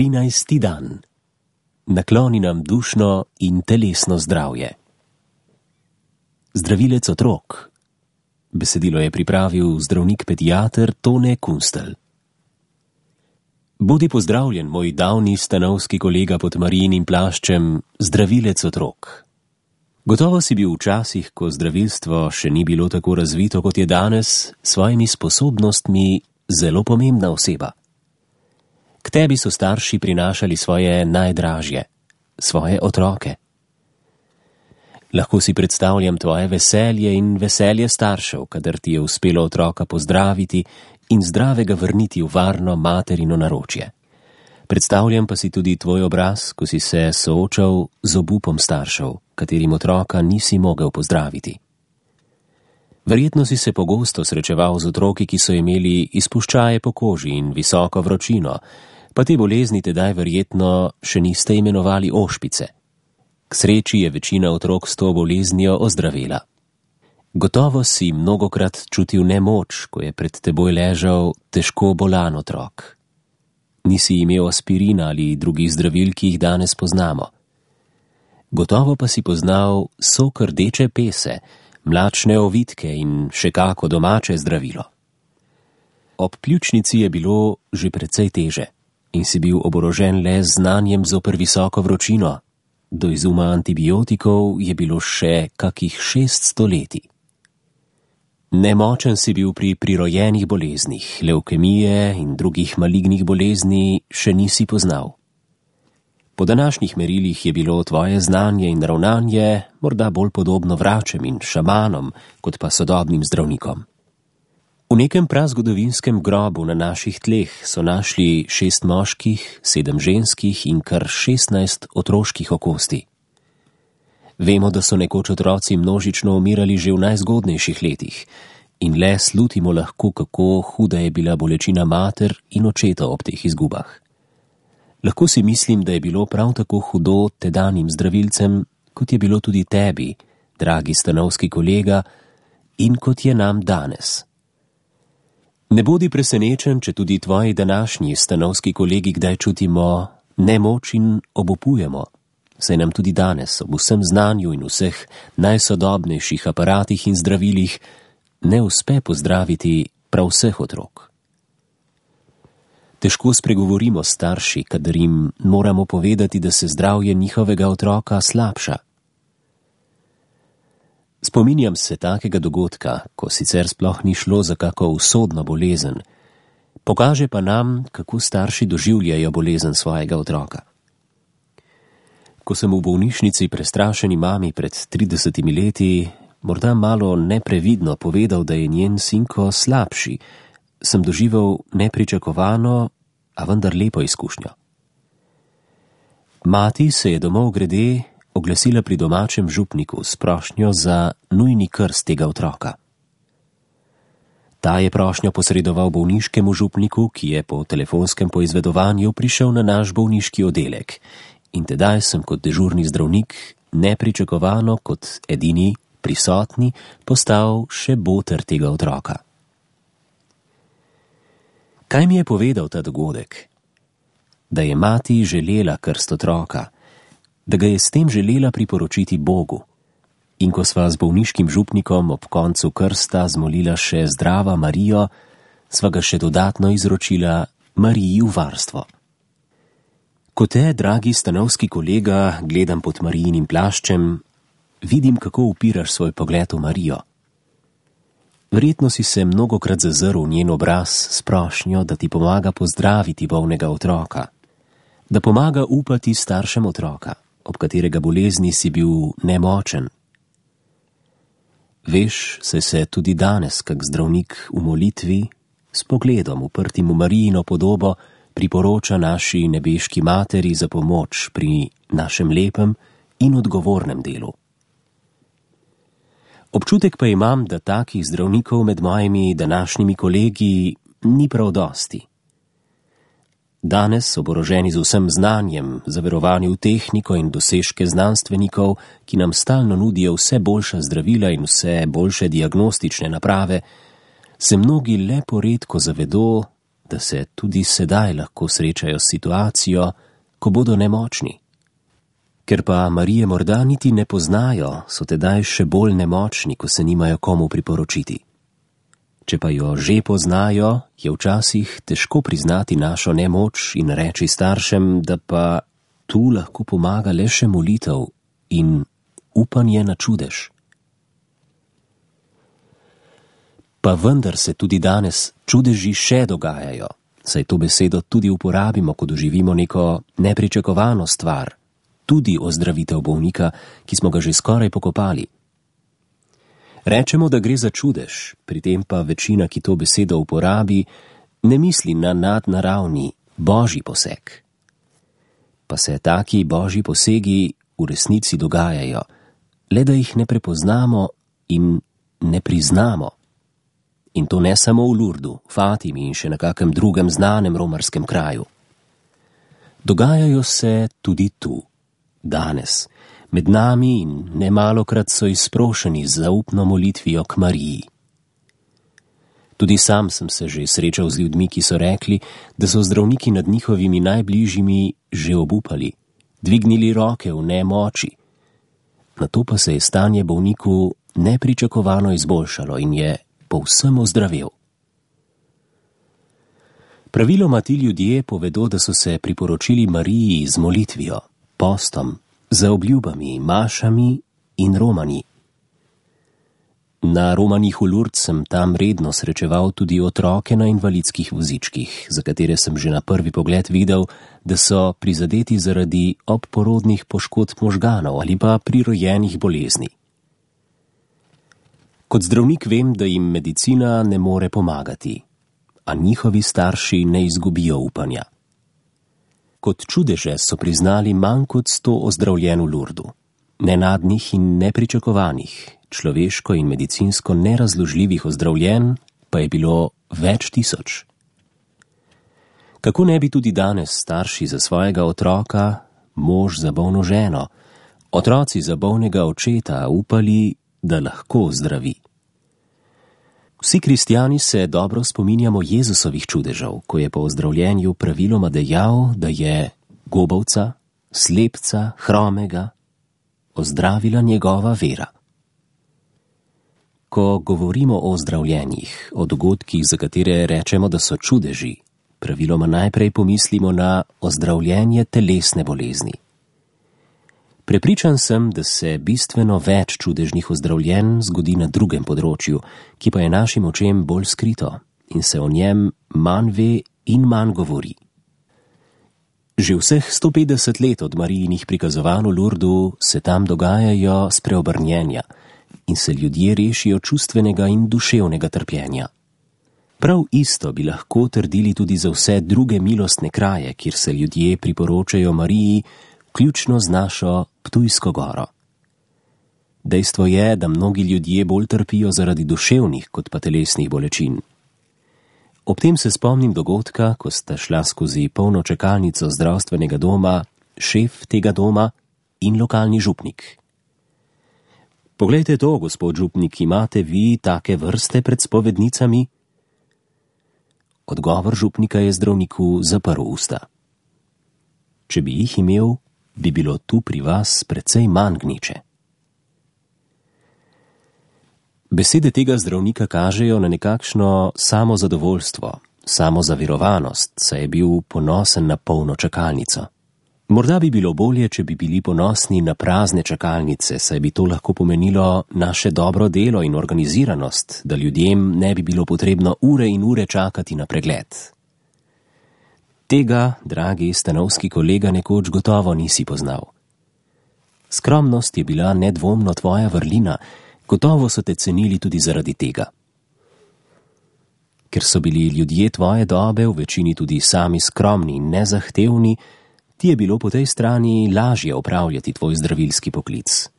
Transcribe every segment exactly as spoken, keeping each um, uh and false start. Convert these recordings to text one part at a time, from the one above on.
trinajsti dan. Nakloni nam dušno in telesno zdravje. Zdravilec otrok. Besedilo je pripravil zdravnik pediater Tone Kunstelj. Bodi pozdravljen, moj davni stanovski kolega pod Marijinim plaščem, zdravilec otrok. Gotovo si bil v časih, ko zdravilstvo še ni bilo tako razvito, kot je danes, s svojimi sposobnostmi zelo pomembna oseba. K tebi so starši prinašali svoje najdražje, svoje otroke. Lahko si predstavljam tvoje veselje in veselje staršev, kadar ti je uspelo otroka pozdraviti in zdravega vrniti v varno materino naročje. Predstavljam pa si tudi tvoj obraz, ko si se soočal z obupom staršev, katerim otroka nisi mogel pozdraviti. Verjetno si se pogosto srečeval z otroki, ki so imeli izpuščaje po koži in visoko vročino, pa te bolezni tedaj verjetno še niste imenovali ošpice. K sreči je večina otrok s to boleznijo ozdravela. Gotovo si mnogokrat čutil nemoč, ko je pred teboj ležal težko bolan otrok. Nisi imel aspirina ali drugih zdravil, ki jih danes poznamo. Gotovo pa si poznal sok rdeče pese, mlačne ovitke in še kako domače zdravilo. Ob pljučnici je bilo že precej teže in si bil oborožen le z znanjem zoper visoko vročino. Do izuma antibiotikov je bilo še kakih šest stoletij. Nemočen si bil pri prirojenih boleznih, levkemije in drugih malignih bolezni še nisi poznal. Po današnjih merilih je bilo tvoje znanje in ravnanje morda bolj podobno vračem in šamanom, kot pa sodobnim zdravnikom. V nekem prazgodovinskem grobu na naših tleh so našli šest moških, sedem ženskih in kar šestnajst otroških okosti. Vemo, da so nekoč otroci množično umirali že v najzgodnejših letih in le slutimo lahko, kako huda je bila bolečina mater in očeta ob teh izgubah. Lahko si mislim, da je bilo prav tako hudo tedanjim zdravilcem, kot je bilo tudi tebi, dragi stanovski kolega, in kot je nam danes. Ne bodi presenečen, če tudi tvoji današnji stanovski kolegi kdaj čutimo nemoč in obupujemo, saj nam tudi danes ob vsem znanju in vseh najsodobnejših aparatih in zdravilih ne uspe pozdraviti prav vseh otrok. Težko spregovorimo starši, kadar jim moramo povedati, da se zdravje njihovega otroka slabša. Spominjam se takega dogodka, ko sicer sploh ni šlo za kako usodno bolezen, pokaže pa nam, kako starši doživljajo bolezen svojega otroka. Ko sem v bolnišnici prestrašeni mami pred tridesetimi leti, morda malo neprevidno povedal, da je njen sinko slabši, sem doživel nepričakovano, a vendar lepo izkušnjo. Mati se je domov grede oglasila pri domačem župniku s prošnjo za nujni krst tega otroka. Ta je prošnjo posredoval bolniškemu župniku, ki je po telefonskem poizvedovanju prišel na naš bolniški oddelek, in tedaj sem kot dežurni zdravnik nepričakovano kot edini prisotni postal še boter tega otroka. Kaj mi je povedal ta dogodek? Da je mati želela krst otroka, da ga je s tem želela priporočiti Bogu. In ko sva z bolniškim župnikom ob koncu krsta zmolila še Zdrava Marijo, sva ga še dodatno izročila Mariji v varstvo. Ko te, dragi stanovski kolega, gledam pod Marijinim plaščem, vidim, kako upiraš svoj pogled v Marijo. Verjetno si se mnogokrat zazrl v njen obraz s prošnjo, da ti pomaga pozdraviti bolnega otroka, da pomaga upati staršem otroka, ob katerega bolezni si bil nemočen. Veš, se se tudi danes, kak zdravnik v molitvi, s pogledom uprtim v Marijino podobo, priporoča naši nebeški materi za pomoč pri našem lepem in odgovornem delu. Občutek pa imam, da takih zdravnikov med mojimi današnjimi kolegi ni prav dosti. Danes, oboroženi z vsem znanjem, zaverovani v tehniko in dosežke znanstvenikov, ki nam stalno nudijo vse boljša zdravila in vse boljše diagnostične naprave, se mnogi le poredko zavedo, da se tudi sedaj lahko srečajo s situacijo, ko bodo nemočni. Ker pa Marije morda niti ne poznajo, so tedaj še bolj nemočni, ko se nimajo komu priporočiti. Če pa jo že poznajo, je včasih težko priznati našo nemoč in reči staršem, da pa tu lahko pomaga le še molitev in upanje na čudež. Pa vendar se tudi danes čudeži še dogajajo, saj to besedo tudi uporabimo, ko doživimo neko nepričakovano stvar, tudi ozdravitev bolnika, ki smo ga že skoraj pokopali. Rečemo, da gre za čudež, pri tem pa večina, ki to besedo uporabi, ne misli na nadnaravni, božji poseg. Pa se taki božji posegi v resnici dogajajo, le da jih ne prepoznamo in ne priznamo. In to ne samo v Lurdu, Fatimi in še na kakem drugem znanem romarskem kraju. Dogajajo se tudi tu, danes, med nami in nemalokrat so izprošeni z zaupno molitvijo k Mariji. Tudi sam sem se že srečal z ljudmi, ki so rekli, da so zdravniki nad njihovimi najbližjimi že obupali, dvignili roke v nemoči. Nato pa se je stanje bolniku nepričakovano izboljšalo in je povsem ozdravel. Praviloma ti ljudje povedo, da so se priporočili Mariji z molitvijo, postom, za obljubami, mašami in romanji. Na romanjih v Lurd sem tam redno srečeval tudi otroke na invalidskih vozičkih, za katere sem že na prvi pogled videl, da so prizadeti zaradi obporodnih poškodb možganov ali pa prirojenih bolezni. Kot zdravnik vem, da jim medicina ne more pomagati, a njihovi starši ne izgubijo upanja. Kot čudeže so priznali manj kot sto ozdravljen v Lurdu, nenadnih in nepričakovanih, človeško in medicinsko nerazložljivih ozdravljen pa je bilo več tisoč. Kako ne bi tudi danes starši za svojega otroka, mož za bolno ženo, otroci za bolnega očeta upali, da lahko zdravi. Vsi kristjani se dobro spominjamo Jezusovih čudežev, ko je po ozdravljenju praviloma dejal, da je gobavca, slepca, hromega ozdravila njegova vera. Ko govorimo o ozdravljenjih, o dogodkih, za katere rečemo, da so čudeži, praviloma najprej pomislimo na ozdravljenje telesne bolezni. Prepričan sem, da se bistveno več čudežnih ozdravljenj zgodi na drugem področju, ki pa je našim očem bolj skrito in se o njem manj ve in manj govori. Že vseh sto petdeset let od Marijinih prikazovanj v Lurdu se tam dogajajo spreobrnjenja in se ljudje rešijo čustvenega in duševnega trpljenja. Prav isto bi lahko trdili tudi za vse druge milostne kraje, kjer se ljudje priporočajo Mariji, vključno z našo Ptujsko goro. Dejstvo je, da mnogi ljudje bolj trpijo zaradi duševnih kot pa telesnih bolečin. Ob tem se spomnim dogodka, ko sta šla skozi polno čakalnico zdravstvenega doma šef tega doma in lokalni župnik. Poglejte to, gospod župnik, imate vi take vrste pred spovednicami? Odgovor župnika je zdravniku zaprl usta. Če bi jih imel, bi bilo tu pri vas precej manj gneče. Besede tega zdravnika kažejo na nekakšno samozadovoljstvo, samozaverovanost, saj je bil ponosen na polno čakalnico. Morda bi bilo bolje, če bi bili ponosni na prazne čakalnice, saj bi to lahko pomenilo naše dobro delo in organiziranost, da ljudem ne bi bilo potrebno ure in ure čakati na pregled. Tega, dragi stanovski kolega, nekoč gotovo nisi poznal. Skromnost je bila nedvomno tvoja vrlina, gotovo so te cenili tudi zaradi tega. Ker so bili ljudje tvoje dobe v večini tudi sami skromni in nezahtevni, ti je bilo po tej strani lažje opravljati tvoj zdravilski poklic.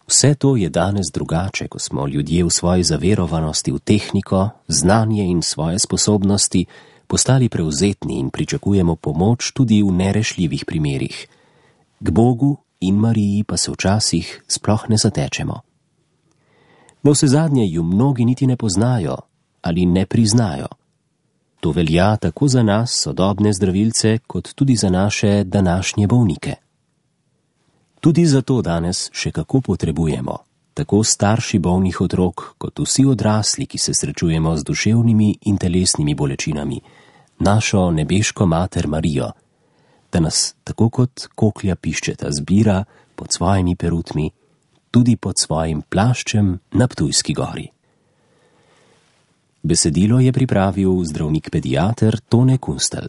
Vse to je danes drugače, ko smo ljudje v svoji zaverovanosti v tehniko, znanje in svoje sposobnosti postali prevzetni in pričakujemo pomoč tudi v nerešljivih primerih. K Bogu in Mariji pa se včasih sploh ne zatečemo. No, vsezadnje ju mnogi niti ne poznajo ali ne priznajo. To velja tako za nas, sodobne zdravilce, kot tudi za naše današnje bolnike. Tudi zato danes še kako potrebujemo, tako starši bolnih otrok, kot vsi odrasli, ki se srečujemo z duševnimi in telesnimi bolečinami, našo nebeško mater Marijo, da nas tako kot koklja piščeta zbira pod svojimi perutmi, tudi pod svojim plaščem na Ptujski gori. Besedilo je pripravil zdravnik pediater Tone Kunstelj.